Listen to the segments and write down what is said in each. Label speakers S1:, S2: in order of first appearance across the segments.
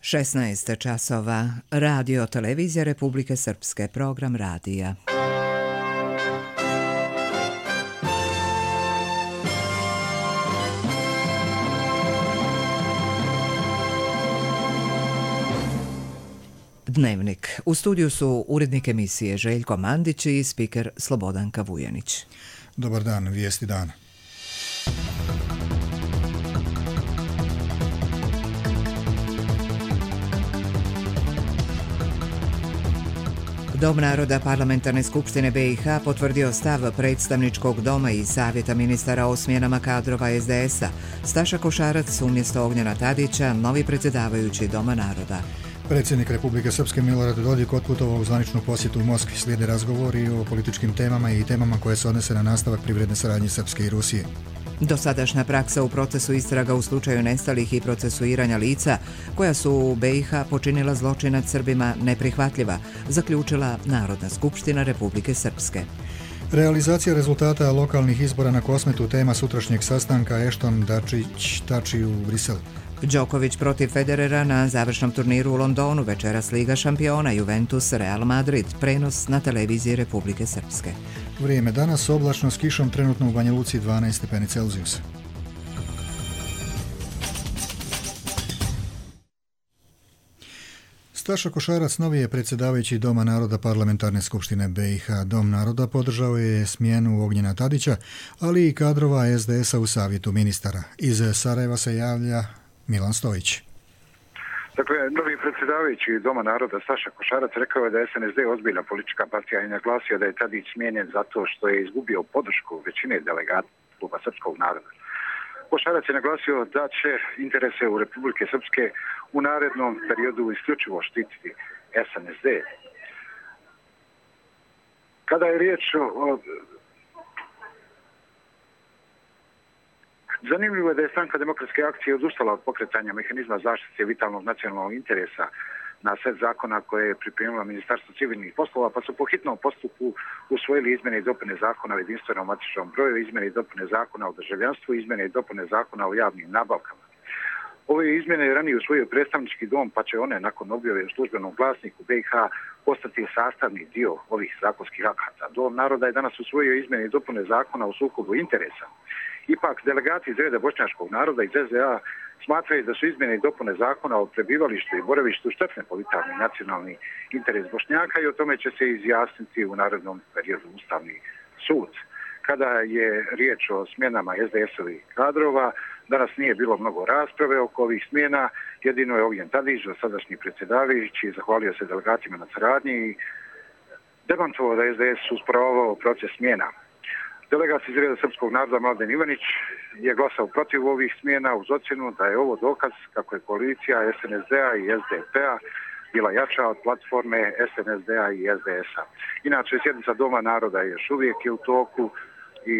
S1: 16 časova. Radio televizija Republike Srpske. Program radija. Dnevnik. U studiju su urednik emisije Željko Mandić i spiker Slobodanka Vujanić.
S2: Dobar dan, vijesti dana.
S1: Dom naroda Parlamentarne skupštine BiH potvrdio stav predstavničkog doma i savjeta ministara o smjenama kadrova SDS-a. Staša Košarac umjesto Ognjena Tadića, novi predsjedavajući Doma naroda.
S2: Predsjednik Republike Srpske Milorad Dodik otputovao u zvaničnu posjetu u Moskvi. Slijede razgovori o političkim temama i temama koje se odnose na nastavak privredne saradnje Srpske i Rusije.
S1: Dosadašnja praksa u procesu istraga u slučaju nestalih i procesuiranja lica koja su u BiH počinila zločin nad Srbima neprihvatljiva, zaključila Narodna skupština Republike Srpske.
S2: Realizacija rezultata lokalnih izbora na Kosmetu tema sutrašnjeg sastanka Ešton-Dačić-Tači u Briselu.
S1: Đoković protiv Federera na završnom turniru u Londonu, večeras Liga šampiona Juventus Real Madrid, prenos na televiziji Republike Srpske.
S2: Vrijeme danas oblačno s kišom, trenutno u Banja Luci 12 stepeni Celzijusa. Staša Košarac novi je predsjedavajući Doma naroda Parlamentarne skupštine BiH. Dom naroda podržao je smjenu Ognjena Tadića, ali i kadrova SDS-a u savjetu ministara. Iz Sarajeva se javlja Milan Stojić.
S3: Dakle, novi predsjedavajući Doma naroda Staša Košarac rekao je da je SNSD ozbiljna politička partija i naglasio da je Tadić smijenjen zato što je izgubio podršku većine delegata Kluba srpskog naroda. Košarac je naglasio da će interese u Republike Srpske u narednom periodu isključivo štititi SNSD. Kada je riječ o... Zanimljivo je da je Stranka demokratske akcije odustala od pokretanja mehanizma zaštite vitalnog nacionalnog interesa na set zakona koje je pripremilo Ministarstvo civilnih poslova, pa su po hitnom postupku usvojili izmjene i dopune zakona o jedinstvenom matičnom broju, izmjene i dopune zakona o državljanstvu, izmjene i dopune zakona o javnim nabavkama. Ove izmjene je ranije usvojio predstavnički dom, pa će one nakon objave u službenom glasniku BiH postati sastavni dio ovih zakonskih akata. Dom naroda je danas usvojio izmjene i dopune zakona o sukobu interesa. Ipak, delegati iz reda bošnjačkog naroda iz SDA smatraju da su izmjene i dopune zakona o prebivalištu i boravištu štetne po vitalni nacionalni interes Bošnjaka i o tome će se izjasniti u narednom periodu Ustavni sud. Kada je riječ o smjenama SDS-ovih kadrova, danas nije bilo mnogo rasprave oko ovih smjena, jedino je Ognjen Tadić, sadašnji predsjedavajući, zahvalio se delegatima na saradnji i demantovao da je SDS usporavao proces smjena. Delegat iz reda srpskog naroda Mladen Ivanić je glasao protiv ovih smjena uz ocjenu da je ovo dokaz kako je koalicija SNSD-a i SDP-a bila jača od platforme SNSD-a i SDS-a. Inače, sjednica Doma naroda je još uvijek u toku i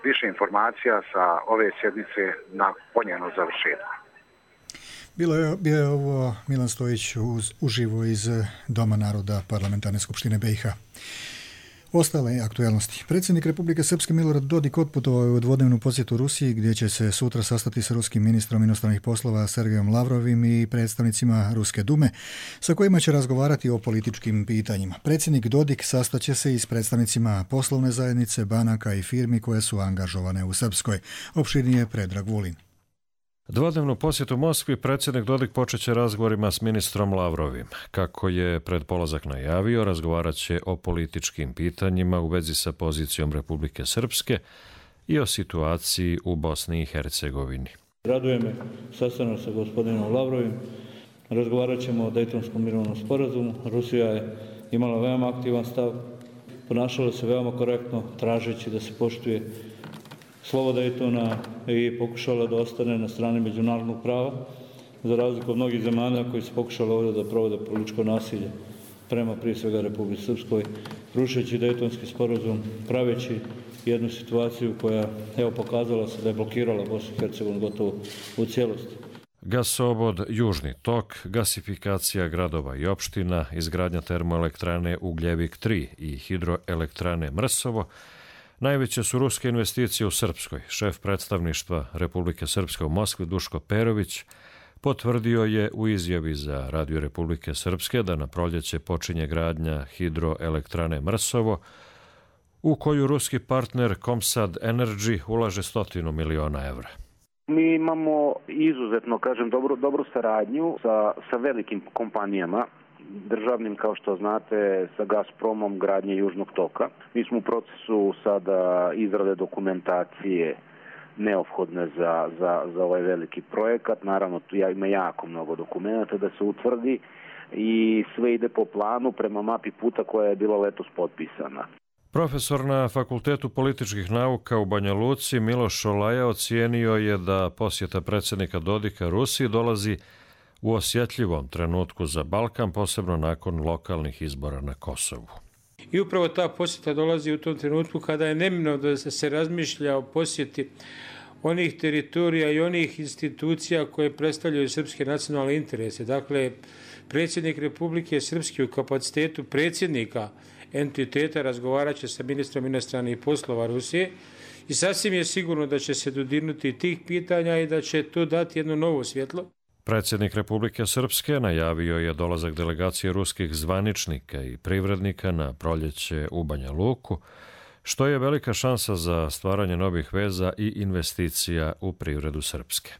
S3: više informacija sa ove sjednice na njeno završetku.
S2: Bio je ovo Milan Stojić uživo iz Doma naroda Parlamentarne skupštine BiH. Ostale aktualnosti. Predsjednik Republike Srpske Milorad Dodik otputovao je u dvodnevnu posjetu Rusiji gdje će se sutra sastati sa ruskim ministrom inostranih poslova Sergejom Lavrovim i predstavnicima Ruske dume sa kojima će razgovarati o političkim pitanjima. Predsjednik Dodik sastaće se i s predstavnicima poslovne zajednice, banaka i firmi koje su angažovane u Srpskoj. Opširnije Predrag Vulin.
S4: Dvodnevnu posjetu Moskvi predsjednik Dodik počeće razgovorima s ministrom Lavrovim. Kako je pred polazak najavio, razgovarat će o političkim pitanjima u vezi sa pozicijom Republike Srpske i o situaciji u Bosni i Hercegovini.
S5: Raduje me sastanak sa gospodinom Lavrovim. Razgovarat ćemo o Dejtonskom mirovnom sporazumu. Rusija je imala veoma aktivan stav, ponašala se veoma korektno, tražeći da se poštuje slovo Dejtona i pokušala da ostane na strani međunarodnog prava, za razliku od mnogih zemalja koji su pokušali ovdje da provode političko nasilje prema prije svega Republike Srpskoj, rušeći Dejtonski sporazum, praveći jednu situaciju koja pokazala se da je blokirala Bosnu i Hercegovinu gotovo u cijelosti.
S4: Gasovod Južni tok, gasifikacija gradova i opština, izgradnja termoelektrane Ugljevik 3 i hidroelektrane Mrsovo najveće su ruske investicije u Srpskoj. Šef predstavništva Republike Srpske u Moskvi Duško Perović potvrdio je u izjavi za Radio Republike Srpske da na proljeće počinje gradnja hidroelektrane Mrsovo, u koju ruski partner Comsat Energy ulaže 100 miliona evra.
S6: Mi imamo izuzetno, dobru saradnju sa velikim kompanijama, državnim, kao što znate, sa Gazpromom, gradnje Južnog toka. Mi smo u procesu sada izrade dokumentacije neophodne za ovaj veliki projekat. Naravno, tu ima jako mnogo dokumenta da se utvrdi i sve ide po planu prema mapi puta koja je bila letos potpisana.
S4: Profesor na Fakultetu političkih nauka u Banja Luci Miloš Šolaja ocijenio je da posjeta predsjednika Dodika Rusiji dolazi u osjetljivom trenutku za Balkan, posebno nakon lokalnih izbora na Kosovu.
S7: I upravo ta posjeta dolazi u tom trenutku kada je neminovno da se razmišlja o posjeti onih teritorija i onih institucija koje predstavljaju srpske nacionalne interese. Dakle, predsjednik Republike Srpske u kapacitetu predsjednika entiteta razgovarat će sa ministrom inostranih poslova Rusije i sasvim je sigurno da će se dodirnuti tih pitanja i da će to dati jedno novo svjetlo.
S4: Predsjednik Republike Srpske najavio je dolazak delegacije ruskih zvaničnika i privrednika na proljeće u Banja Luku, što je velika šansa za stvaranje novih veza i investicija u privredu Srpske.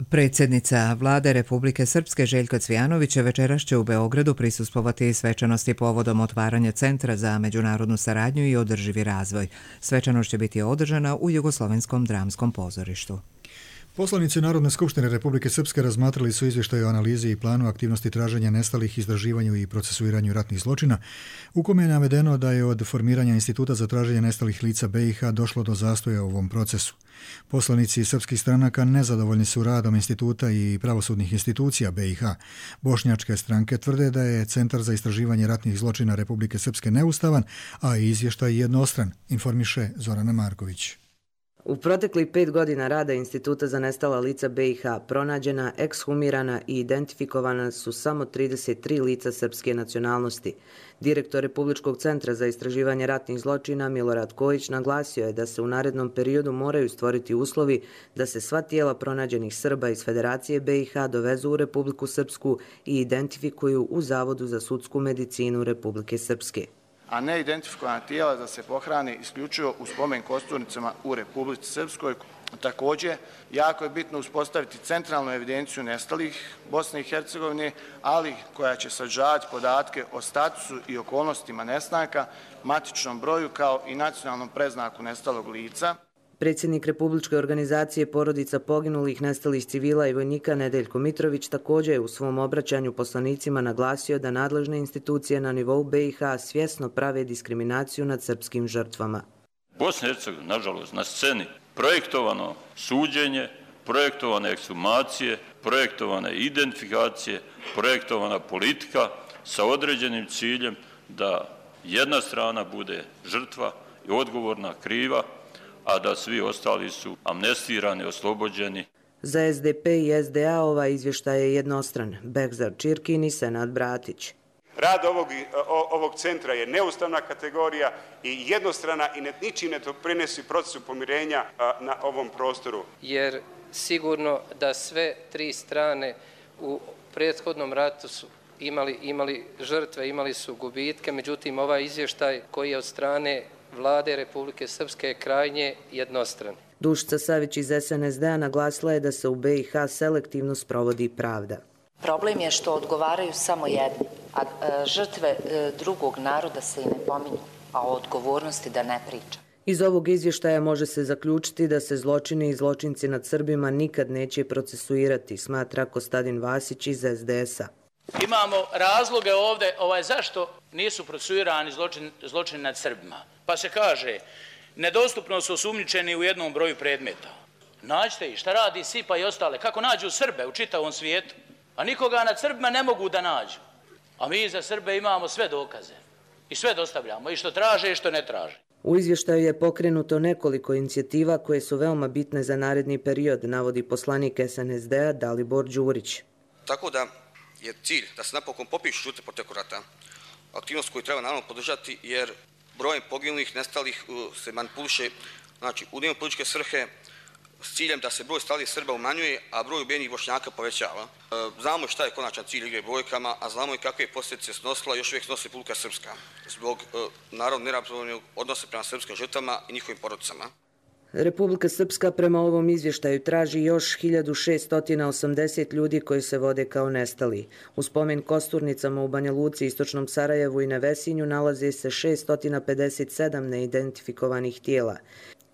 S1: Predsjednica Vlade Republike Srpske Željka Cvijanović večeras će u Beogradu prisustvovati svečanosti povodom otvaranja Centra za međunarodnu saradnju i održivi razvoj. Svečanost će biti održana u Jugoslovenskom dramskom pozorištu.
S2: Poslanici Narodne skupštine Republike Srpske razmatrali su izvještaj o analizi i planu aktivnosti traženja nestalih, istraživanju i procesuiranju ratnih zločina, u kome je navedeno da je od formiranja Instituta za traženje nestalih lica BiH došlo do zastoja u ovom procesu. Poslanici srpskih stranaka nezadovoljni su radom instituta i pravosudnih institucija BiH. Bošnjačke stranke tvrde da je Centar za istraživanje ratnih zločina Republike Srpske neustavan, a izvještaj jednostran, informiše Zorana Marković.
S8: U proteklih 5 godina rada Instituta za nestala lica BiH pronađena, ekshumirana i identifikovana su samo 33 lica srpske nacionalnosti. Direktor Republičkog centra za istraživanje ratnih zločina Milorad Kojić naglasio je da se u narednom periodu moraju stvoriti uslovi da se sva tijela pronađenih Srba iz Federacije BiH dovezu u Republiku Srpsku i identifikuju u Zavodu za sudsku medicinu Republike Srpske.
S9: A ne identifikovana tijela da se pohrani isključivo u spomen kosturnicama u Republici Srpskoj. Također, jako je bitno uspostaviti centralnu evidenciju nestalih Bosne i Hercegovine, ali koja će sadržavati podatke o statusu i okolnostima nestanka, matičnom broju kao i nacionalnom preznaku nestalog lica.
S8: Predsjednik Republičke organizacije porodica poginulih, nestalih civila i vojnika Nedeljko Mitrović također je u svom obraćanju poslanicima naglasio da nadležne institucije na nivou BiH svjesno prave diskriminaciju nad srpskim žrtvama.
S10: Bosna i Hercegovina, nažalost, na sceni projektovano suđenje, projektovane ekshumacije, projektovane identifikacije, projektovana politika sa određenim ciljem da jedna strana bude žrtva i odgovorna, kriva, a da svi ostali su amnestirani, oslobođeni.
S8: Za SDP i SDA ovaj izvještaj je jednostran. Behzar Čirkin i Senad Bratić.
S11: Rad ovog centra je neustavna kategorija i jednostrana i ničim ne doprinosi procesu pomirenja na ovom prostoru.
S12: Jer sigurno da sve tri strane u prethodnom ratu su imali žrtve, imali su gubitke, međutim ovaj izvještaj koji je od strane Vlade Republike Srpske je krajnje jednostran.
S8: Dušica Savić iz SNSD-a naglasila je da se u BiH selektivno sprovodi pravda.
S13: Problem je što odgovaraju samo jedni, a žrtve drugog naroda se i ne pominju, a o odgovornosti da ne priča.
S8: Iz ovog izvještaja može se zaključiti da se zločini i zločinci nad Srbima nikad neće procesuirati, smatra Kostadin Vasić iz SDS-a.
S14: Imamo razloge ovdje zašto nisu procesuirani zločini nad Srbima. Pa se kaže, nedostupno su osumnjičeni u jednom broju predmeta. Nađite ih, šta radi SIPA i ostale, kako nađu Srbe u čitavom svijetu, a nikoga nad Srbima ne mogu da nađu. A mi za Srbe imamo sve dokaze i sve dostavljamo, i što traže i što ne traže.
S8: U izvještaju je pokrenuto nekoliko inicijativa koje su veoma bitne za naredni period, navodi poslanik SNSD-a Dalibor Đurić.
S15: Tako da je cilj da se napokon popišu žrtve proteklog rata, aktivnost koju treba naravno podržati jer brojem poginulih, nestalih se manipuliše, znači u dnevno političke svrhe s ciljem da se broj stradalih Srba umanjuje, a broj ubijenih Bošnjaka povećava. Znamo šta je konačan cilj igre brojkama, a znamo i kakve posljedice snosila još uvijek snosi Republika Srpska zbog narodno neravnopravnog odnosa prema srpskim žrtvama i njihovim porodicama.
S8: Republika Srpska prema ovom izvještaju traži još 1680 ljudi koji se vode kao nestali. U spomen Kosturnicama u Banja Luci, Istočnom Sarajevu i Nevesinju nalaze se 657 neidentifikovanih tijela.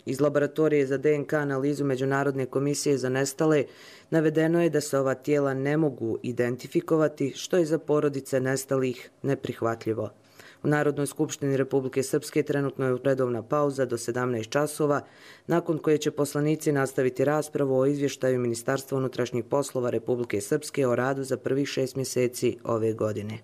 S8: Iz laboratorije za DNK analizu Međunarodne komisije za nestale navedeno je da se ova tijela ne mogu identifikovati, što je za porodice nestalih neprihvatljivo. U Narodnoj skupštini Republike Srpske trenutno je redovna pauza do 17 časova, nakon koje će poslanici nastaviti raspravu o izvještaju Ministarstva unutrašnjih poslova Republike Srpske o radu za prvih 6 mjeseci ove godine.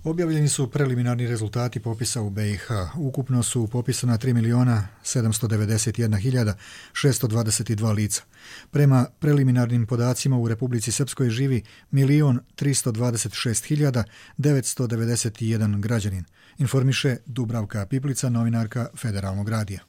S2: Objavljeni su preliminarni rezultati popisa u BiH. Ukupno su popisana 3.791.622 lica. Prema preliminarnim podacima u Republici Srpskoj živi 1.326.991 građanin, informiše Dubravka Piplica, novinarka Federalnog radija.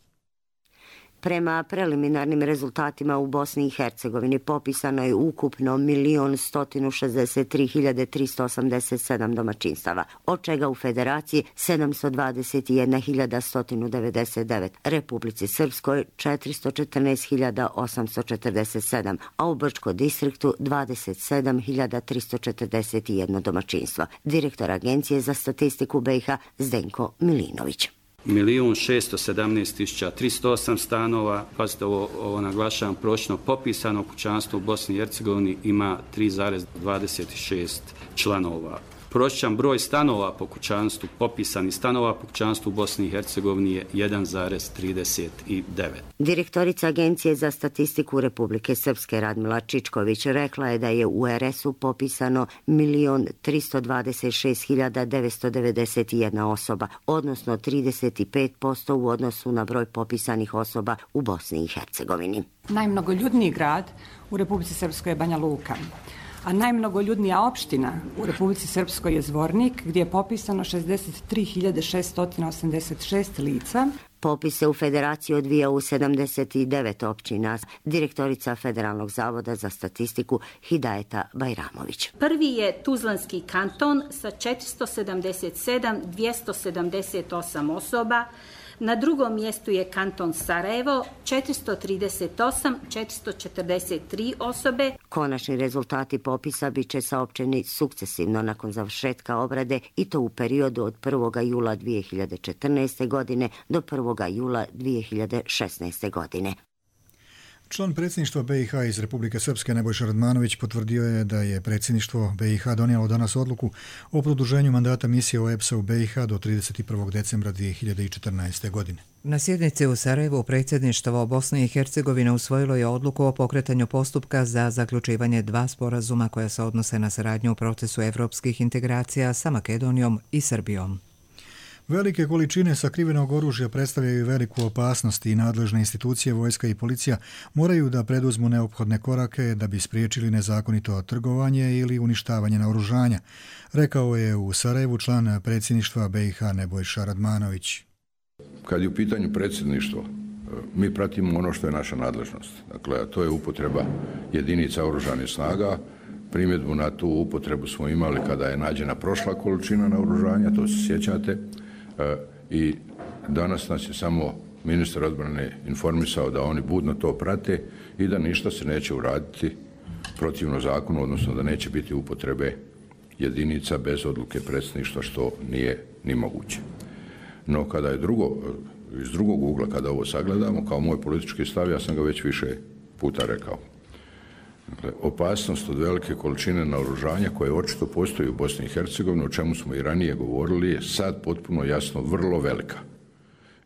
S16: Prema preliminarnim rezultatima u Bosni i Hercegovini popisano je ukupno 1.163.387 domaćinstava, od čega u Federaciji 721.199, Republici Srpskoj 414.847, a u Brčkom distriktu 27.341 domaćinstvo. Direktor Agencije za statistiku BiH Zdenko Milinović.
S17: 1.617.308 stanova, pazite ovo naglašavam, prosječno popisano kućanstvo u Bosni i Hercegovini ima 3,26 članova. Prosječan broj stanova po kućanstvu, popisani stanova po kućanstvu u Bosni i Hercegovini je 1,39.
S16: Direktorica Agencije za statistiku Republike Srpske Radmila Čičković rekla je da je u RS-u popisano 1.326.991 osoba, odnosno 35% u odnosu na broj popisanih osoba u Bosni i Hercegovini.
S18: Najmnogoljudniji grad u Republici Srpskoj je Banja Luka, a najmnogoljudnija opština u Republici Srpskoj je Zvornik, gdje je popisano 63.686 lica.
S16: Popis se u Federaciji odvija u 79 općina. Direktorica Federalnog zavoda za statistiku Hidajeta Bajramović.
S19: Prvi je Tuzlanski kanton sa 477.278 osoba. Na drugom mjestu je kanton Sarajevo, 438.443 osobe.
S16: Konačni rezultati popisa bit će saopćeni sukcesivno nakon završetka obrade i to u periodu od 1. jula 2014. godine do 1. jula 2016. godine.
S2: Član predsjedništva BiH iz Republike Srpske Nebojša Radmanović potvrdio je da je predsjedništvo BiH donijelo danas odluku o produženju mandata misije OEBS-a u BiH do 31. decembra 2014. godine.
S1: Na sjednici u Sarajevu predsjedništvo Bosne i Hercegovine usvojilo je odluku o pokretanju postupka za zaključivanje 2 sporazuma koja se odnose na saradnju u procesu evropskih integracija sa Makedonijom i Srbijom.
S2: Velike količine sakrivenog oružja predstavljaju veliku opasnost i nadležne institucije, vojska i policija moraju da preduzmu neophodne korake da bi spriječili nezakonito trgovanje ili uništavanje naoružanja, rekao je u Sarajevu član predsjedništva BiH Nebojša Radmanović.
S20: Kad je u pitanju predsjedništvo, mi pratimo ono što je naša nadležnost. Dakle, to je upotreba jedinica oružanih snaga. Primjedbu na tu upotrebu smo imali kada je nađena prošla količina naoružanja, to se sjećate. I danas nas je samo ministar odbrane informisao da oni budno to prate i da ništa se neće uraditi protivno zakonu, odnosno da neće biti upotrebe jedinica bez odluke predsjedništva, što nije ni moguće. No kada je iz drugog ugla, kada ovo sagledamo, kao moj politički stav, ja sam ga već više puta rekao. Dakle, opasnost od velike količine naoružanja koje očito postoji u Bosni i Hercegovini, o čemu smo i ranije govorili, je sad potpuno jasno vrlo velika.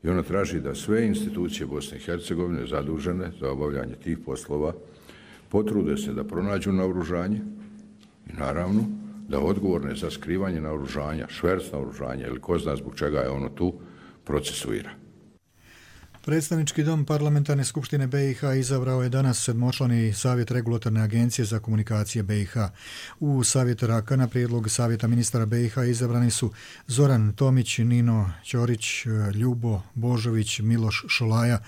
S20: I ona traži da sve institucije Bosne i Hercegovine zadužene za obavljanje tih poslova potrude se da pronađu naoružanje i naravno da odgovorne za skrivanje naoružanja, šverc naoružanja ili ko zna zbog čega je ono tu, procesuira.
S2: Predstavnički dom Parlamentarne skupštine BiH izabrao je danas 7-člani Savjet regulatorne agencije za komunikacije BiH. U Savjet RAK na prijedlog Savjeta ministara BiH izabrani su Zoran Tomić, Nino Ćorić, Ljubo Božović, Miloš Šolaja,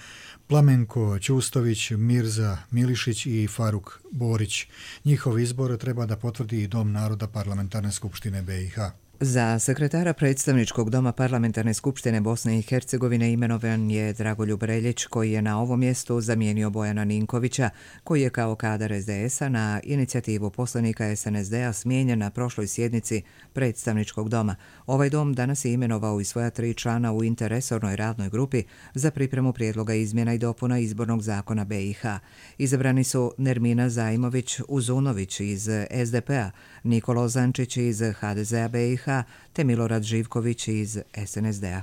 S2: Plamenko Ćustović, Mirza Milišić i Faruk Borić. Njihov izbor treba da potvrdi i Dom naroda Parlamentarne skupštine BiH.
S1: Za sekretara predstavničkog doma Parlamentarne skupštine Bosne i Hercegovine imenovan je Dragoljub Reljić, koji je na ovom mjestu zamijenio Bojana Ninkovića, koji je kao kadar SDS-a na inicijativu poslanika SNSD-a smijenjen na prošloj sjednici predstavničkog doma. Ovaj dom danas je imenovao i svoja 3 člana u interresornoj radnoj grupi za pripremu prijedloga izmjena i dopuna izbornog zakona BiH. Izabrani su Nermina Zajmović Uzunović iz SDP-a, Nikolo Zančić iz HDZ-a BiH, te Milorad Živković iz SNSD-a.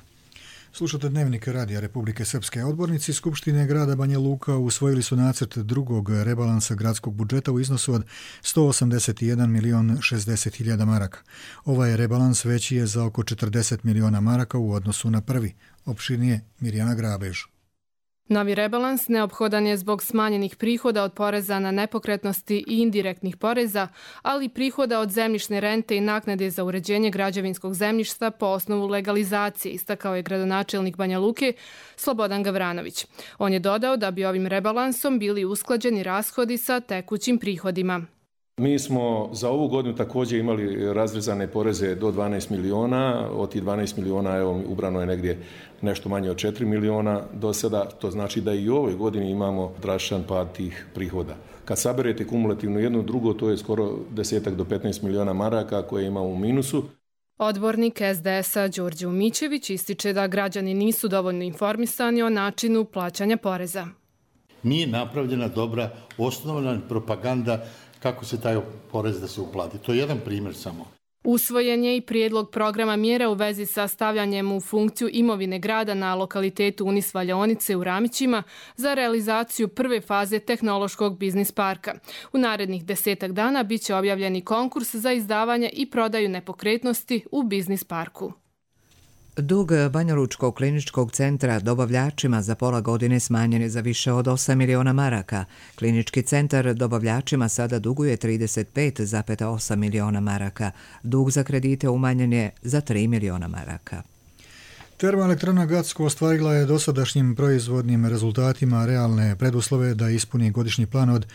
S2: Slušate Dnevnik Radija Republike Srpske. Odbornici Skupštine grada Banja Luka usvojili su nacrt drugog rebalansa gradskog budžeta u iznosu od 181.060.000 maraka. Ovaj rebalans veći je za oko 40 miliona maraka u odnosu na prvi. Opširnije Mirjana Grabež.
S21: Novi rebalans neophodan je zbog smanjenih prihoda od poreza na nepokretnosti i indirektnih poreza, ali i prihoda od zemljišne rente i naknade za uređenje građevinskog zemljišta po osnovu legalizacije, istakao je gradonačelnik Banja Luke Slobodan Gavranović. On je dodao da bi ovim rebalansom bili usklađeni rashodi sa tekućim prihodima.
S22: Mi smo za ovu godinu također imali razrezane poreze do 12 miliona, od tih 12 miliona evo, ubrano je negdje nešto manje od 4 miliona do sada, to znači da i u ovoj godini imamo drastičan pad tih prihoda. Kad saberete kumulativno jedno drugo, to je skoro 10 do 15 miliona maraka koje imamo u minusu.
S21: Odbornik SDS-a Đorđe Umićević ističe da građani nisu dovoljno informisani o načinu plaćanja poreza.
S23: Nije napravljena dobra osnovna propaganda kako se taj porez da se uplati. To je jedan primjer samo.
S21: Usvojen je i prijedlog programa mjera u vezi sa stavljanjem u funkciju imovine grada na lokalitetu Unis Valjaonice u Ramićima za realizaciju prve faze tehnološkog biznis parka. U narednih 10 dana bit će objavljeni konkurs za izdavanje i prodaju nepokretnosti u biznis parku.
S1: Dug Banjalučkog kliničkog centra dobavljačima za pola godine smanjen je za više od 8 miliona maraka. Klinički centar dobavljačima sada duguje 35,8 miliona maraka. Dug za kredite umanjen je za 3 miliona maraka.
S2: Termoelektrana Gacko ostvarila je dosadašnjim proizvodnim rezultatima realne preduslove da ispuni godišnji plan od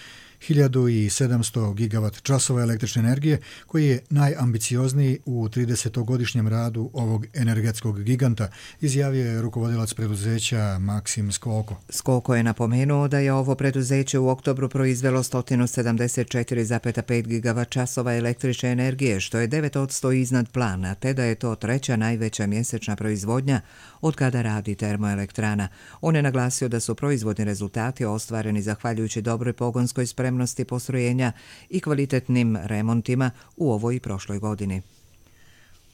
S2: 1700 gigavat časova električne energije, koji je najambiciozniji u 30-godišnjem radu ovog energetskog giganta, izjavio je rukovodilac preduzeća Maksim Skoko.
S1: Skoko je napomenuo da je ovo preduzeće u oktobru proizvelo 174,5 gigavat časova električne energije, što je 9% iznad plana, te da je to treća najveća mjesečna proizvodnja od kada radi termoelektrana. On je naglasio da su proizvodni rezultati ostvareni zahvaljujući dobroj pogonskoj spremnosti postrojenja i kvalitetnim remontima u ovoj i prošloj godini.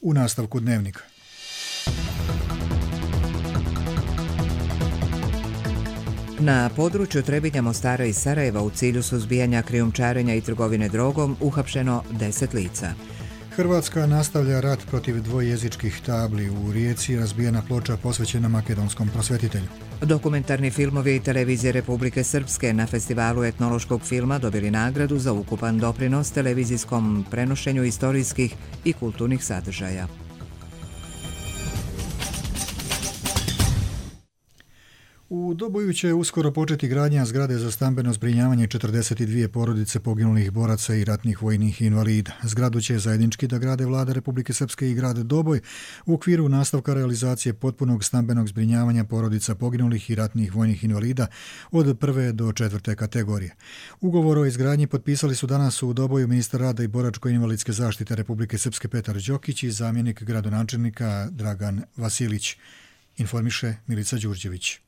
S2: U nastavku Dnevnika.
S1: Na području Trebinja, Mostara i Sarajeva u cilju suzbijanja krijumčarenja i trgovine drogom uhapšeno 10 lica.
S2: Hrvatska nastavlja rat protiv dvojezičkih tabli. U Rijeci razbijena ploča posvećena makedonskom prosvetitelju.
S1: Dokumentarni filmovi i televizije Republike Srpske na festivalu etnološkog filma dobili nagradu za ukupan doprinos televizijskom prenošenju istorijskih i kulturnih sadržaja.
S2: U Doboju će uskoro početi gradnja zgrade za stambeno zbrinjavanje 42 porodice poginulih boraca i ratnih vojnih invalida. Zgradu će zajednički da grade Vlada Republike Srpske i grad Doboj u okviru nastavka realizacije potpunog stambenog zbrinjavanja porodica poginulih i ratnih vojnih invalida od 1. do 4. kategorije. Ugovor o izgradnji potpisali su danas u Doboju ministar rada i boračko-invalidske zaštite Republike Srpske Petar Đokić i zamjenik gradonačelnika Dragan Vasilić, informiše Milica Đurđević.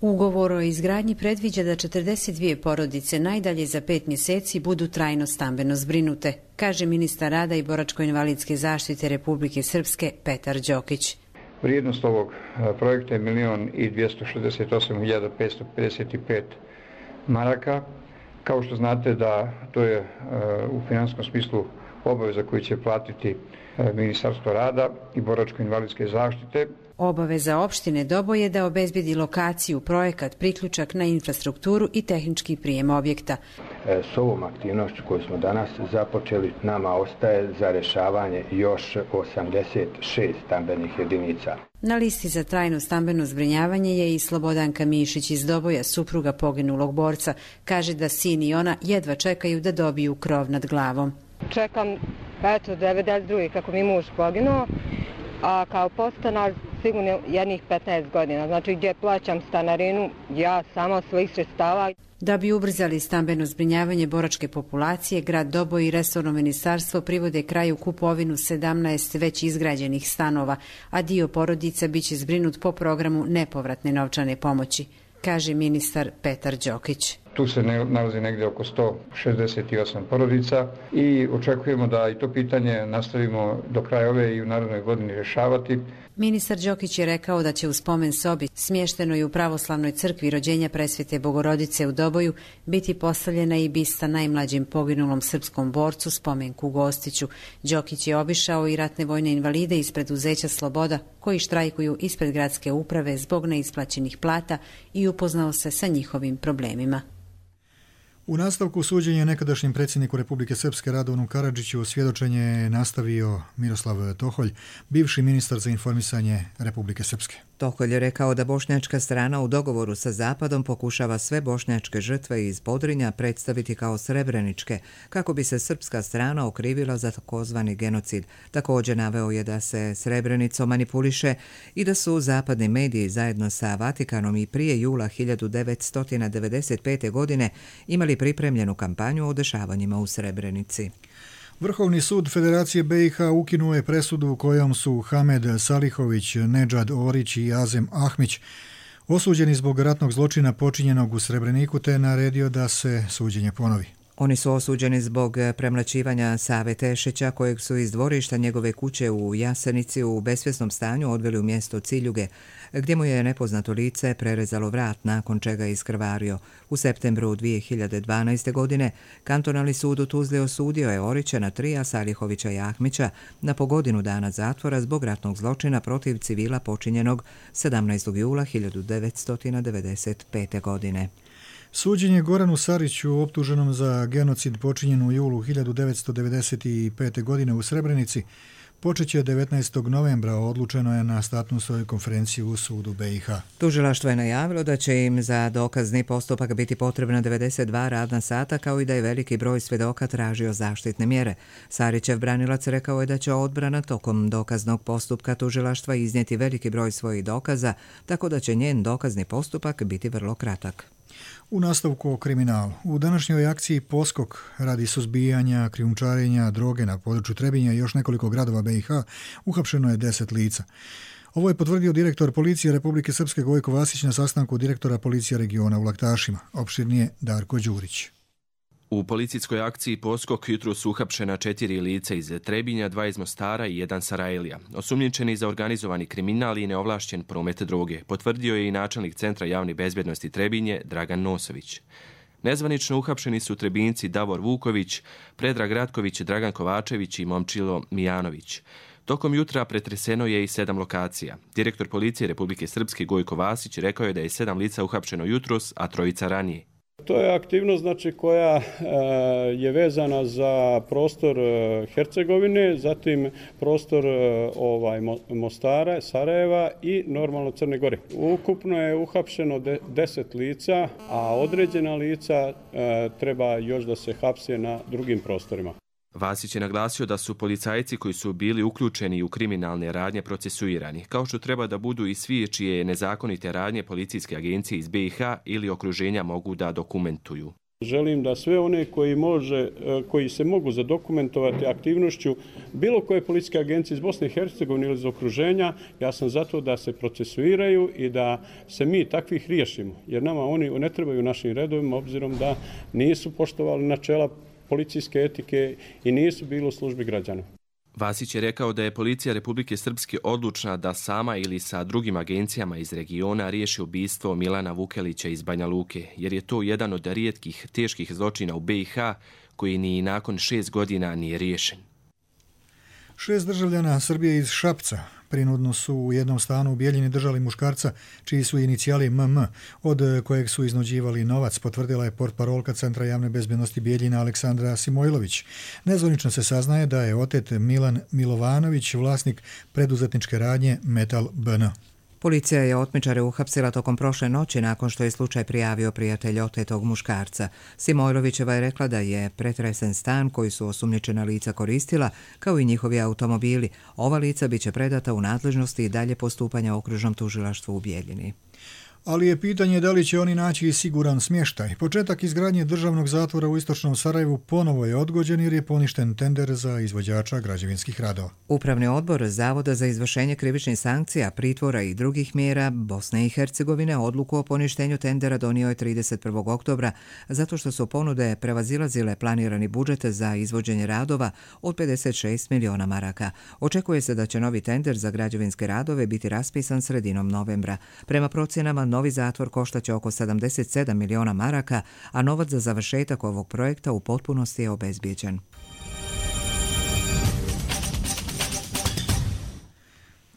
S24: Ugovor o izgradnji predviđa da 42 porodice najdalje za 5 mjeseci budu trajno stambeno zbrinute, kaže ministar rada i boračko-invalidske zaštite Republike Srpske Petar Đokić.
S25: Vrijednost ovog projekta je 1.268.555 maraka. Kao što znate da to je u finansijskom smislu obaveza koju će platiti Ministarstvo rada i boračko-invalidske zaštite.
S24: Obaveza opštine Doboj je da obezbedi lokaciju, projekat, priključak na infrastrukturu i tehnički prijem objekta.
S25: S ovom aktivnošću koju smo danas započeli, nama ostaje za rješavanje još 86 stambenih jedinica.
S24: Na listi za trajno stambeno zbrinjavanje je i Slobodanka Mišić iz Doboja, supruga poginulog borca. Kaže da sin i ona jedva čekaju da dobiju krov nad glavom.
S3: Čekam, 92. kako mi muž poginuo, a kao podstanar sigurno jednih 15 godina. Znači gdje plaćam stanarinu, ja sama svojih sredstava.
S24: Da bi ubrzali stambeno zbrinjavanje boračke populacije, grad Doboj i resorno ministarstvo privode kraju kupovinu 17 već izgrađenih stanova, a dio porodica biće zbrinut po programu nepovratne novčane pomoći, kaže ministar Petar Đokić.
S25: Tu se nalazi negdje oko 168 porodica i očekujemo da i to pitanje nastavimo do kraja ove i u narednoj godini rješavati.
S24: Ministar Đokić je rekao da će u spomen sobi, smještenoj u pravoslavnoj crkvi rođenja Presvete Bogorodice u Doboju, biti postavljena i bista najmlađem poginulom srpskom borcu, spomenku Gostiću. Đokić je obišao i ratne vojne invalide iz preduzeća Sloboda, koji štrajkuju ispred gradske uprave zbog neisplaćenih plata i upoznao se sa njihovim problemima.
S2: U nastavku suđenja nekadašnjem predsjedniku Republike Srpske Radovanu Karadžiću svjedočenje je nastavio Miroslav Toholj, bivši ministar za informisanje Republike Srpske.
S1: Toholj je rekao da bošnjačka strana u dogovoru sa Zapadom pokušava sve bošnjačke žrtve iz Podrinja predstaviti kao srebreničke, kako bi se srpska strana okrivila za takozvani genocid. Također naveo je da se Srebrenicom manipuliše i da su zapadni mediji zajedno sa Vatikanom i prije jula 1995. godine imali pripremljenu kampanju o dešavanjima u Srebrenici.
S2: Vrhovni sud Federacije BiH ukinuo je presudu kojom su Hamed Salihović, Nedžad Orić i Azem Ahmić osuđeni zbog ratnog zločina počinjenog u Srebreniku te naredio da se suđenje ponovi.
S1: Oni su osuđeni zbog premlaćivanja Save Tešića, kojeg su iz dvorišta njegove kuće u Jasenici u besvjesnom stanju odveli u mjesto Ciljuge, gdje mu je nepoznato lice prerezalo vrat, nakon čega je iskrvario. U septembru 2012. godine kantonalni sud u Tuzli osudio je Orića na 3, a Salihovića i Ahmića na po godinu dana zatvora zbog ratnog zločina protiv civila počinjenog 17. jula 1995. godine.
S2: Suđenje Goranu Sariću, optuženom za genocid počinjen u julu 1995. godine u Srebrenici, počeće 19. novembra, odlučeno je na statusnoj konferenciji u sudu BiH.
S1: Tužilaštvo je najavilo da će im za dokazni postupak biti potrebna 92 radna sata, kao i da je veliki broj svjedoka tražio zaštitne mjere. Sarićev branilac rekao je da će odbrana tokom dokaznog postupka tužilaštva iznijeti veliki broj svojih dokaza, tako da će njen dokazni postupak biti vrlo kratak.
S2: U nastavku o kriminalu. U današnjoj akciji Poskok radi suzbijanja krijumčarenja droge na području Trebinja i još nekoliko gradova BiH uhapšeno je 10 lica. Ovo je potvrdio direktor policije Republike Srpske Gojko Vasić na sastanku direktora policije regiona u Laktašima. Opširnije Darko Đurić.
S4: U policijskoj akciji Poskok jutro su uhapšena 4 lica iz Trebinja, 2 iz Mostara i 1 Sarajlija. Osumnjičeni za organizovani kriminal i neovlašćen promet droge, potvrdio je i načelnik Centra javne bezbjednosti Trebinje Dragan Nosović. Nezvanično uhapšeni su Trebinci Davor Vuković, Predrag Ratković, Dragan Kovačević i Momčilo Mijanović. Tokom jutra pretreseno je i 7 lokacija. Direktor policije Republike Srpske Gojko Vasić rekao je da je 7 lica uhapšeno jutros, a 3 ranije.
S5: To je aktivnost koja je vezana za prostor Hercegovine, zatim prostor Mostara, Sarajeva i normalno Crne Gore. Ukupno je uhapšeno 10 lica, a određena lica treba još da se hapse na drugim prostorima.
S4: Vasić je naglasio da su policajci koji su bili uključeni u kriminalne radnje procesuirani, kao što treba da budu i svi čije nezakonite radnje policijske agencije iz BiH ili okruženja mogu da dokumentuju.
S5: Želim da sve one koji se mogu zadokumentovati aktivnošću bilo koje policijske agencije iz Bosne i Hercegovine ili iz okruženja, ja sam zato da se procesuiraju i da se mi takvih riješimo, jer nama oni ne trebaju našim redovima, obzirom da nisu poštovali načela policijske etike i nisu bili u službi građana.
S4: Vasić je rekao da je policija Republike Srpske odlučna da sama ili sa drugim agencijama iz regiona riješi ubistvo Milana Vukelića iz Banja Luke, jer je to jedan od rijetkih teških zločina u BiH koji ni nakon 6 godina nije riješen.
S2: 6 državljana Srbije iz Šapca Prinudno su u jednom stanu u Bijeljini držali muškarca čiji su inicijali MM, od kojeg su iznuđivali novac, potvrdila je portparolka Centra javne bezbjednosti Bijeljina Aleksandra Simojlović. Nezvanično se saznaje da je otet Milan Milovanović, vlasnik preduzetničke radnje Metal BN.
S1: Policija je otmičare uhapsila tokom prošle noći nakon što je slučaj prijavio prijatelj otetog muškarca. Simojlovićeva je rekla da je pretresen stan koji su osumnjičena lica koristila, kao i njihovi automobili. Ova lica biće predata u nadležnosti i dalje postupanja okružnom tužilaštvu u Bijeljini.
S2: Ali je pitanje da li će oni naći siguran smještaj. Početak izgradnje državnog zatvora u istočnom Sarajevu ponovo je odgođen jer je poništen tender za izvođača građevinskih radova.
S1: Upravni odbor Zavoda za izvršenje krivičnih sankcija, pritvora i drugih mjera Bosne i Hercegovine odluku o poništenju tendera donio je 31. oktobra zato što su ponude prevazilazile planirani budžet za izvođenje radova od 56 miliona maraka. Očekuje se da će novi tender za građevinske radove biti raspisan sredinom novembra. Prema procjenama, novi zatvor koštaće oko 77 miliona maraka, a novac za završetak ovog projekta u potpunosti je obezbijeđen.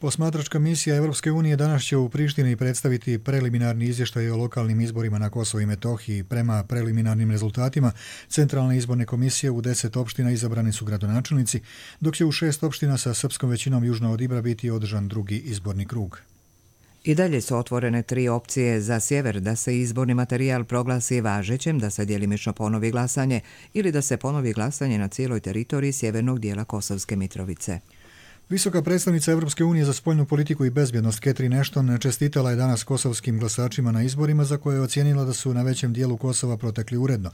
S2: Posmatračka misija Evropske unije danas će u Prištini predstaviti preliminarni izvještaj o lokalnim izborima na Kosovu i Metohiji. Prema preliminarnim rezultatima Centralne izborne komisije u 10 opština izabrani su gradonačelnici, dok će u 6 opština sa srpskom većinom južno od Ibra biti održan drugi izborni krug.
S1: I dalje su otvorene 3 opcije za sjever, da se izborni materijal proglasi važećem, da se djelimično ponovi glasanje ili da se ponovi glasanje na cijeloj teritoriji sjevernog dijela Kosovske Mitrovice.
S2: Visoka predstavnica Evropske unije za spoljnu politiku i bezbjednost Catherine Ashton čestitala je danas kosovskim glasačima na izborima za koje je ocijenila da su na većem dijelu Kosova protekli uredno.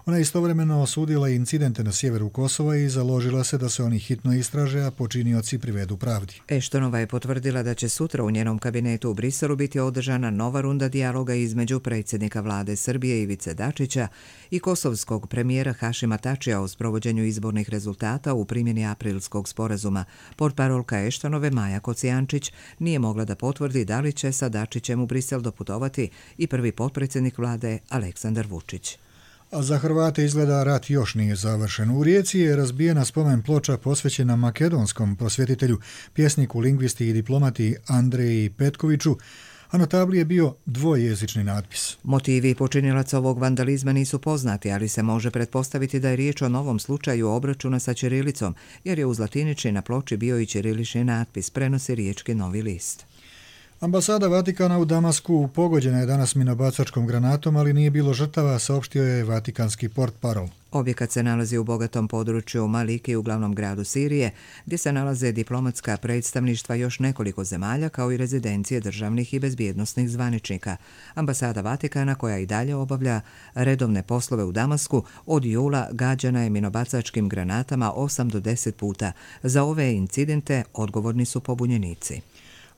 S2: Ona je istovremeno osudila incidente na sjeveru Kosova i založila se da se oni hitno istraže, a počinioci privedu pravdi.
S1: Ashtonova je potvrdila da će sutra u njenom kabinetu u Briselu biti održana nova runda dijaloga između predsjednika vlade Srbije Ivice Dačića i kosovskog premijera Hašima Tačija o sprovođenju izbornih rezultata u primjeni aprilskog sporazuma. Portparolka Ashtonove Maja Kocijančić nije mogla da potvrdi da li će sa Dačićem u Brisel doputovati i prvi potpredsjednik vlade Aleksandar Vučić.
S2: A za Hrvate izgleda rat još nije završen. U Rijeci je razbijena spomen ploča posvećena makedonskom prosvjetitelju, pjesniku, lingvisti i diplomati Andreji Petkoviću, a na tabli je bio dvojezični natpis.
S1: Motivi počinilaca ovog vandalizma nisu poznati, ali se može pretpostaviti da je riječ o novom slučaju obračuna sa ćirilicom, jer je uz latinični na ploči bio i ćirilični natpis, prenosi riječki Novi list.
S2: Ambasada Vatikana u Damasku pogođena je danas minobacačkom granatom, ali nije bilo žrtava, saopštio je vatikanski portparol.
S1: Objekat se nalazi u bogatom području Maliki u glavnom gradu Sirije, gdje se nalaze diplomatska predstavništva još nekoliko zemalja, kao i rezidencije državnih i bezbjednosnih zvaničnika. Ambasada Vatikana, koja i dalje obavlja redovne poslove u Damasku, od jula gađana je minobacačkim granatama 8 do 10 puta. Za ove incidente odgovorni su pobunjenici.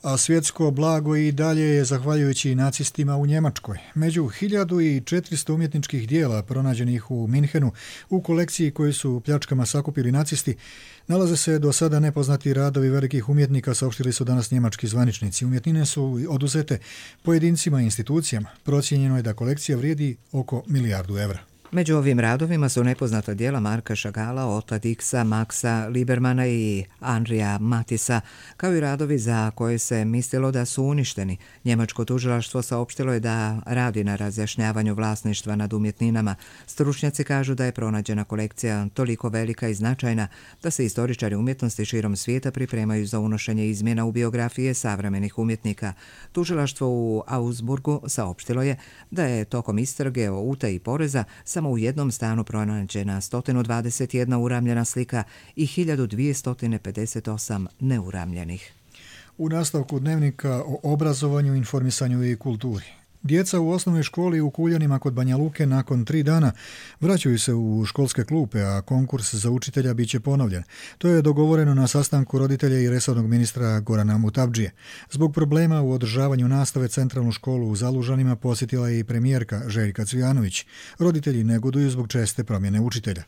S2: A svjetsko blago i dalje je zahvaljujući nacistima u Njemačkoj. Među 1400 umjetničkih dijela pronađenih u Minhenu u kolekciji koju su pljačkama sakupili nacisti, nalaze se do sada nepoznati radovi velikih umjetnika, saopštili su danas njemački zvaničnici. Umjetnine su oduzete pojedincima i institucijama. Procijenjeno je da kolekcija vrijedi oko milijardu evra.
S1: Među ovim radovima su nepoznata dijela Marka Šagala, Ota Dixa, Maxa Libermana i Andrija Matisa, kao i radovi za koje se mislilo da su uništeni. Njemačko tužilaštvo saopštilo je da radi na razjašnjavanju vlasništva nad umjetninama. Stručnjaci kažu da je pronađena kolekcija toliko velika i značajna da se istoričari umjetnosti širom svijeta pripremaju za unošenje izmjena u biografije savremenih umjetnika. Tužilaštvo u Augsburgu saopštilo je da je tokom istrage o utaji poreza samo u jednom stanu pronađena 121 uramljena slika i 1258 neuramljenih.
S2: U nastavku dnevnika o obrazovanju, informisanju i kulturi. Djeca u osnovnoj školi u Kuljanima kod Banja Luke nakon 3 dana vraćaju se u školske klupe, a konkurs za učitelja biće ponovljen. To je dogovoreno na sastanku roditelja i resornog ministra Gorana Mutavdžije. Zbog problema u održavanju nastave centralnu školu u Zalužanima posjetila je i premijerka Željka Cvijanović. Roditelji negoduju zbog česte promjene učitelja.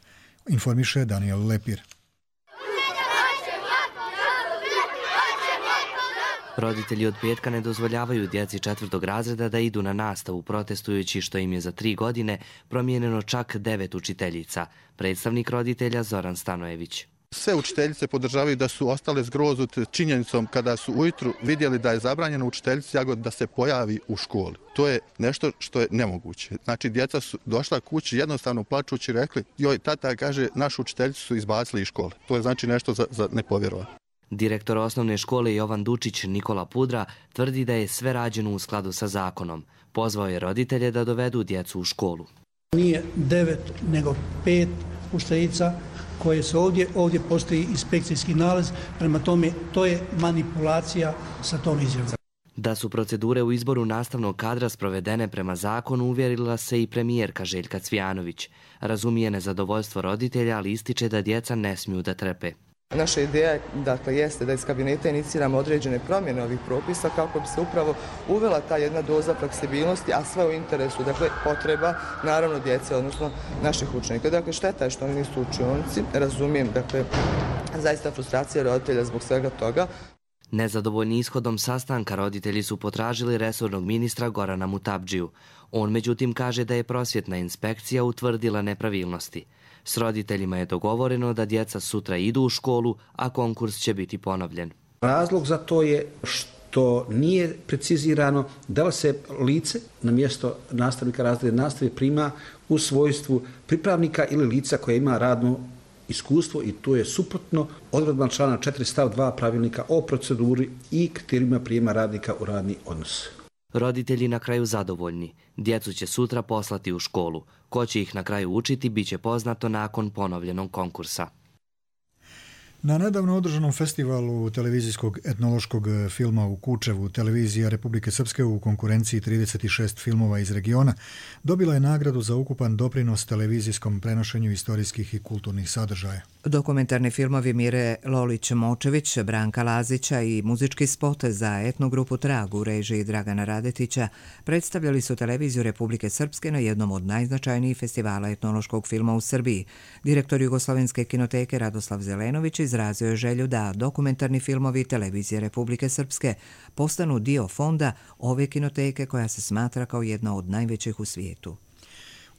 S2: Informiše Daniel Lepir.
S6: Roditelji od petka ne dozvoljavaju djeci 4. razreda da idu na nastavu, protestujući što im je za 3 godine promijenjeno čak 9 učiteljica. Predstavnik roditelja Zoran Stanojević.
S7: Sve učiteljice podržavaju da su ostale zgrozute činjenicom kada su ujutru vidjeli da je zabranjeno učiteljici Jagod da se pojavi u školi. To je nešto što je nemoguće. Znači, djeca su došla kući jednostavno plačući rekli, joj, tata kaže, našu učiteljicu su izbacili iz škole. To je znači nešto za nepovjerovati.
S6: Direktor osnovne škole Jovan Dučić Nikola Pudra tvrdi da je sve rađeno u skladu sa zakonom. Pozvao je roditelje da dovedu djecu u školu.
S9: Nije 9 nego 5 učiteljica koje su ovdje postoji inspekcijski nalaz, prema tome to je manipulacija sa tom izjavom.
S6: Da su procedure u izboru nastavnog kadra sprovedene prema zakonu uvjerila se i premijerka Željka Cvijanović. Razumije nezadovoljstvo roditelja, ali ističe da djeca ne smiju da trpe.
S10: Naša ideja jeste da iz kabineta iniciramo određene promjene ovih propisa kako bi se upravo uvela ta jedna doza fleksibilnosti, a sve u interesu potreba naravno djece, odnosno naših učenika. Šteta je što oni nisu u učionici, razumijem, zaista frustracija roditelja zbog svega toga.
S6: Nezadovoljni ishodom sastanka roditelji su potražili resornog ministra Gorana Mutabdžiju. On međutim kaže da je prosvjetna inspekcija utvrdila nepravilnosti. S roditeljima je dogovoreno da djeca sutra idu u školu, a konkurs će biti ponovljen.
S11: Razlog za to je što nije precizirano da li se lice na mjesto nastavnika razredne nastave prima u svojstvu pripravnika ili lica koje ima radno iskustvo i to je suprotno odredbama člana 4 stav 2 pravilnika o proceduri i kriterijima prijema radnika u radni odnos.
S6: Roditelji na kraju zadovoljni. Djecu će sutra poslati u školu. Ko će ih na kraju učiti bit će poznato nakon ponovljenog konkursa.
S2: Na nedavno održanom festivalu televizijskog etnološkog filma u Kučevu, televizija Republike Srpske u konkurenciji 36 filmova iz regiona dobila je nagradu za ukupan doprinos televizijskom prenošenju istorijskih i kulturnih sadržaja.
S1: Dokumentarni filmovi Mire Lolić-Močević, Branka Lazića i muzički spot za etnogrupu Trag u režiji Dragana Radetića predstavljali su televiziju Republike Srpske na jednom od najznačajnijih festivala etnološkog filma u Srbiji. Direktor Jugoslovenske kinoteke Radoslav Zelenović izrazio je želju da dokumentarni filmovi televizije Republike Srpske postanu dio fonda ove kinoteke koja se smatra kao jedna od najvećih u svijetu.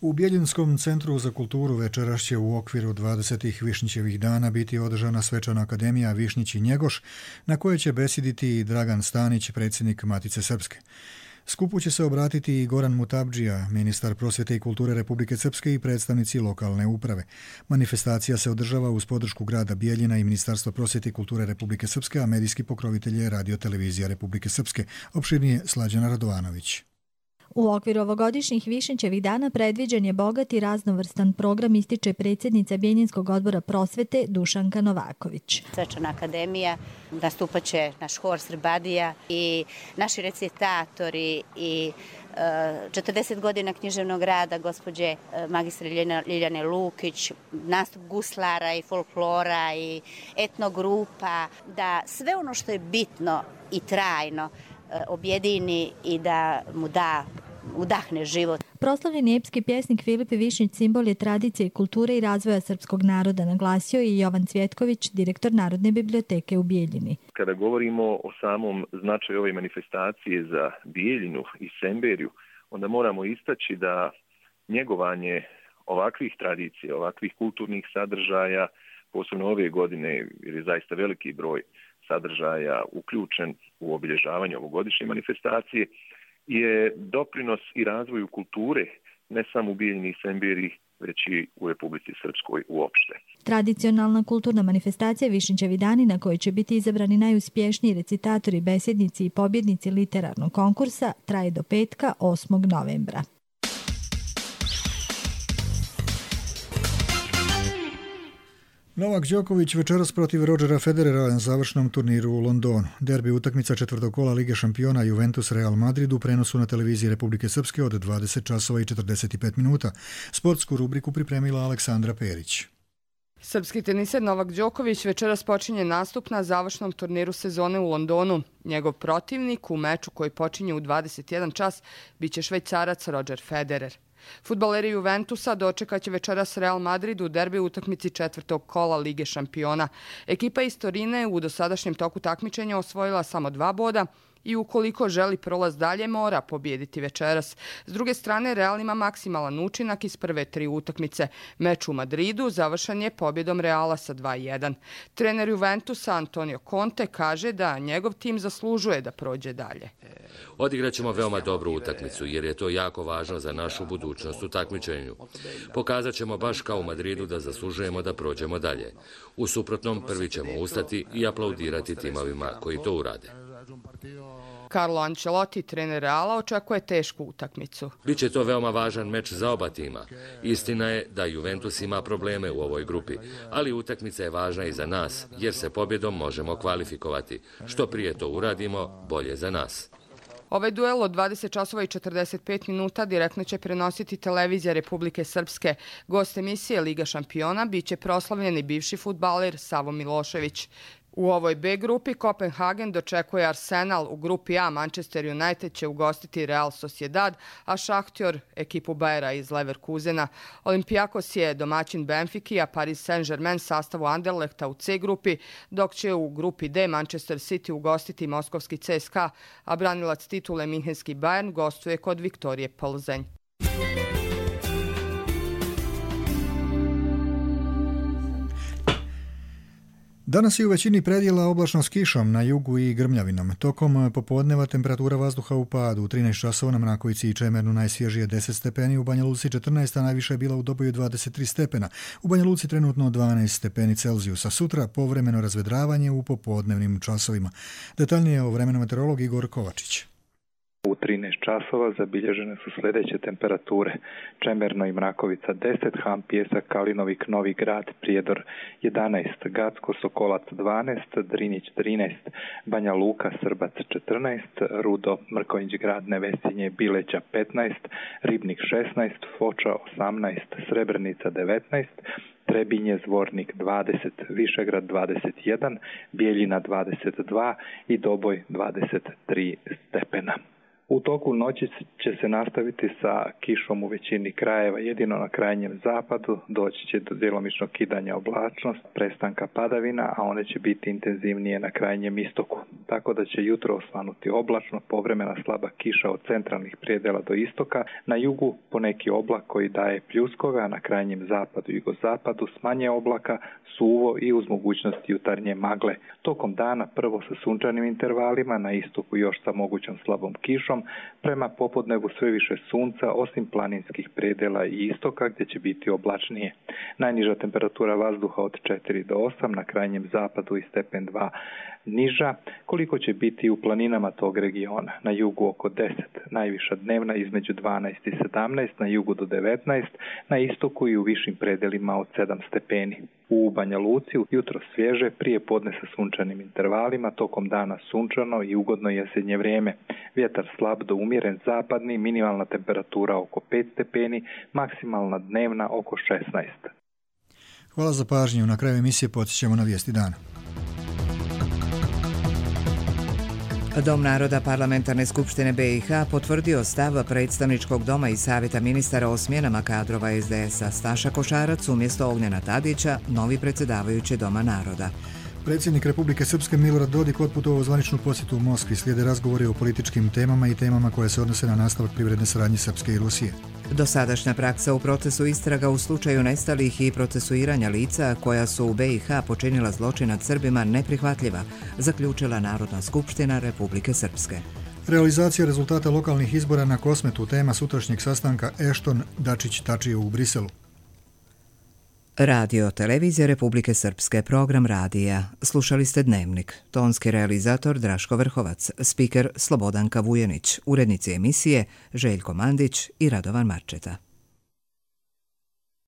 S2: U Bjeljinskom centru za kulturu večeras će u okviru 20. Višnjićevih dana biti održana svečana akademija Višnjić i Njegoš, na kojoj će besediti Dragan Stanić, predsjednik Matice Srpske. Skupu će se obratiti i Goran Mutabdžija, ministar prosvjete i kulture Republike Srpske i predstavnici lokalne uprave. Manifestacija se održava uz podršku grada Bijeljina i Ministarstva prosvjete i kulture Republike Srpske, a medijski pokrovitelj je Radio-televizija Republike Srpske. Opširnije Slađana Radovanović.
S12: U okviru ovogodišnjih Višnjićevih dana predviđen je bogat i raznovrstan program, ističe predsjednica Bjeljinskog odbora prosvete Dušanka Novaković.
S26: Svečana akademija, nastupaće naš hor Srbadija i naši recitatori i 40 godina književnog rada gospođe magistre Ljiljane Lukić, nastup guslara i folklora i etnogrupa, da sve ono što je bitno i trajno objedini i da mu udahne život.
S12: Proslavljeni epski pjesnik Filip Višnjić simbol je tradicije, kulture i razvoja srpskog naroda, naglasio i Jovan Cvjetković, direktor Narodne biblioteke u Bijeljini.
S27: Kada govorimo o samom značaju ove manifestacije za Bijeljinu i Semberiju, onda moramo istaći da njegovanje ovakvih tradicija, ovakvih kulturnih sadržaja, posebno ove godine, jer je zaista veliki broj sadržaja uključen u obilježavanje ovogodišnje manifestacije, je doprinos i razvoju kulture ne samo u Bijeljini i Semberiji, već i u Republici Srpskoj uopšte.
S12: Tradicionalna kulturna manifestacija Višnjićevi dani, na kojoj će biti izabrani najuspješniji recitatori, besjednici i pobjednici literarnog konkursa, traje do petka 8. novembra.
S2: Novak Đoković večeras protiv Rodgera Federera na završnom turniru u Londonu. Derbi utakmica četvrtog kola Lige šampiona Juventus Real Madrid u prenosu na televiziji Republike Srpske od 20 časova i 45 minuta. Sportsku rubriku pripremila Aleksandra Perić.
S28: Srpski teniser Novak Đoković večeras počinje nastup na završnom turniru sezone u Londonu. Njegov protivnik u meču koji počinje u 21 čas biće Švajcarac Roger Federer. Fudbaleri Juventusa dočekaće večeras Real Madrid u derbi utakmici četvrtog kola Lige šampiona. Ekipa iz Torine u dosadašnjem toku takmičenja osvojila samo 2 boda i ukoliko želi prolaz dalje mora pobijediti večeras. S druge strane, Real ima maksimalan učinak iz prve 3 utakmice. Meč u Madridu završen je pobjedom Reala sa 2-1. Trener Juventusa Antonio Conte kaže da njegov tim zaslužuje da prođe dalje.
S8: Odigraćemo veoma dobru utakmicu jer je to jako važno za našu budućnost u takmičenju. Pokazat ćemo baš kao u Madridu da zaslužujemo da prođemo dalje. U suprotnom prvi ćemo ustati i aplaudirati timovima koji to urade.
S28: Carlo Ancelotti, trener Reala, očekuje tešku utakmicu.
S8: Biće to veoma važan meč za oba tima. Istina je da Juventus ima probleme u ovoj grupi, ali utakmica je važna i za nas, jer se pobjedom možemo kvalifikovati. Što prije to uradimo, bolje za nas.
S28: Ovaj duel od 20 časova i 45 minuta direktno će prenositi televizija Republike Srpske. Gost emisije Liga šampiona biće proslavljeni bivši fudbaler Savo Milošević. U ovoj B grupi Kopenhagen dočekuje Arsenal, u grupi A Manchester United će ugostiti Real Sociedad, a Šahtjor ekipu Bayera iz Leverkusena. Olympiakos je domaćin Benfiki, a Paris Saint-Germain sastavu Anderlechta u C grupi, dok će u grupi D Manchester City ugostiti moskovski CSKA, a branilac titule Minhenski Bayern gostuje kod Viktorije Plzeň.
S2: Danas je u većini predjela oblačno s kišom, na jugu i grmljavinom. Tokom popodneva temperatura vazduha u padu. U 13 časova na Mrakovici i Čemernu najsvježije 10 stepeni, u Banja Luci 14, a najviše je bila u Doboju 23 stepena. U Banja Luci trenutno 12 stepeni Celzijusa. Sutra povremeno razvedravanje u popodnevnim časovima. Detaljnije o vremenu meteorolog Igor Kovačić.
S13: U 13 časova zabilježene su sljedeće temperature. Čemerno i Mrakovica 10, Ham, Pjesak, Kalinovik, Novi Grad, Prijedor 11, Gacko, Sokolac 12, Drinić 13, Banja Luka, Srbac 14, Rudo, Mrkonjić Grad, Nevesinje, Bileća 15, Ribnik 16, Foča 18, Srebrenica 19, Trebinje, Zvornik 20, Višegrad 21, Bijeljina 22 i Doboj 23 stepena. U toku noći će se nastaviti sa kišom u većini krajeva, jedino na krajnjem zapadu doći će do djelomičnog kidanja oblačnosti, prestanka padavina, a one će biti intenzivnije na krajnjem istoku. Tako da će jutro osvanuti oblačno, povremena slaba kiša od centralnih predjela do istoka, na jugu poneki oblak koji daje pljuskove, a na krajnjem zapadu i jugozapadu s manje oblaka, suvo i uz mogućnost jutarnje magle. Tokom dana prvo sa sunčanim intervalima, na istoku još sa mogućom slabom kišom, prema popodnevu sve više sunca osim planinskih predjela i istoka gdje će biti oblačnije. Najniža temperatura vazduha od 4 do 8, na krajnjem zapadu i stepen 2 niža, koliko će biti u planinama tog regiona. Na jugu oko 10, najviša dnevna između 12 i 17, na jugu do 19, na istoku i u višim predjelima od 7 stepeni. U Banja Luci jutro svježe, prije podne sa sunčanim intervalima, tokom dana sunčano i ugodno jesenje vrijeme. Vjetar slab do umjeren zapadni, minimalna temperatura oko 5 stepeni, maksimalna dnevna oko 16.
S2: Hvala za pažnju. Na kraju emisije podsjećamo na vijesti dana.
S1: Dom naroda Parlamentarne skupštine BiH potvrdio stav predstavničkog doma i savjeta ministara o smjenama kadrova SDS-a. Staša Košarac umjesto Ognjena Tadića, novi predsjedavajući Doma naroda.
S2: Predsjednik Republike Srpske Milorad Dodik otputovao u zvaničnu posjetu u Moskvi. Slijede razgovori o političkim temama i temama koje se odnose na nastavak privredne saradnje Srpske i Rusije.
S1: Dosadašnja praksa u procesu istraga u slučaju nestalih i procesuiranja lica koja su u BiH počinila zločin nad Srbima neprihvatljiva, zaključila Narodna skupština Republike Srpske.
S2: Realizacija rezultata lokalnih izbora na Kosmetu, tema sutrašnjeg sastanka Ešton Dačić-Tačijev u Briselu.
S1: Radio Televizija Republike Srpske, program radija. Slušali ste Dnevnik. Tonski realizator Draško Vrhovac, spiker Slobodanka Vujenić, urednici emisije Željko Mandić i Radovan Marčeta.